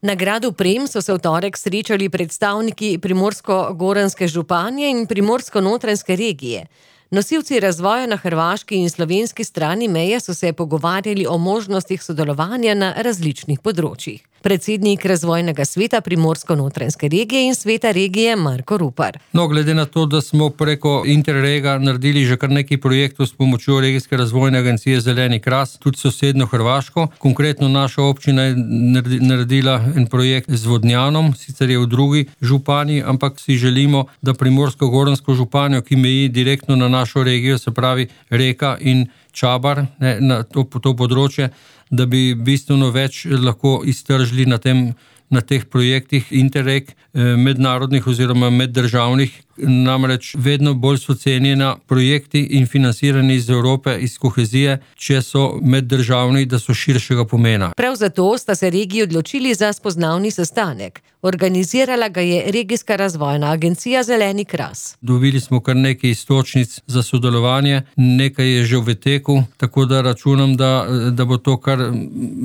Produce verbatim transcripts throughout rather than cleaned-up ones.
Na gradu Prem so se v torek srečali predstavniki primorsko-goranske županje in primorsko-notranjske regije. Nosilci razvoja na hrvaški in slovenski strani meje so se pogovarjali o možnostih sodelovanja na različnih področjih. Predsednik razvojnega sveta Primorsko-notranjske regije in sveta regije Marko Rupar. No, glede na to, da smo preko Interrega naredili že kar nekaj projektov s pomočjo Regijske razvojne agencije Zeleni kras, tudi sosedno Hrvaško. Konkretno naša občina je naredila en projekt z Vodnjanom, sicer je v drugi županiji, ampak si želimo, da Primorsko-goransko županjo, ki meji direktno na našo regijo, se pravi Reka in Čabar, ne, na to, to področje, da bi bistveno več lahko iztržili na tem, na teh projektih Interreg, mednarodnih oziroma meddržavnih, namreč vedno bolj so cenjena projekti in financirani iz Evrope, iz kohezije, če so meddržavni, da so širšega pomena. Prav zato sta se regiji odločili za spoznavni sestanek. Organizirala ga je Regijska razvojna agencija Zeleni kras. Dobili smo kar nekaj iztočnic za sodelovanje, nekaj je že v teku, tako da računam, da, da bo to kar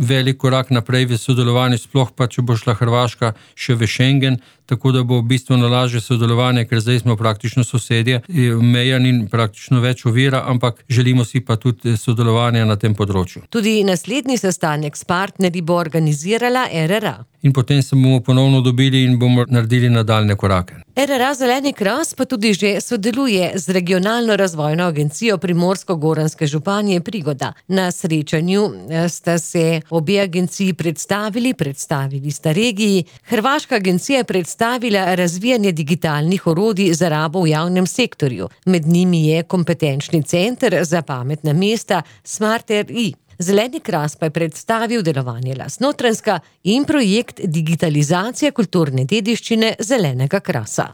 velik korak naprej v sodelovanju, sploh pa, če bo šla Hrvaška še v Schengen, tako da bo bistveno lažje sodelovanje, ker zdaj smo praktično sosedje, meja ni praktično več ovira, ampak želimo si pa tudi sodelovanje na tem področju. Tudi naslednji sestanek s partnerji bo organizirala R R A. In potem se bomo ponovno dobili in bomo naredili nadaljne korake. R R A Zeleni kras pa tudi že sodeluje z regionalno razvojno agencijo Primorsko-goranske županje Prigoda. Na srečanju sta se obe agenciji predstavili, predstavili sta regiji. Hrvaška agencija je predstavila razvijanje digitalnih orodij za rabo v javnem sektorju. Med njimi je kompetenčni center za pametna mesta Smart R I. Zeleni kras pa je predstavil delovanje Lastnotranjska in projekt digitalizacije kulturne dediščine Zelenega krasa.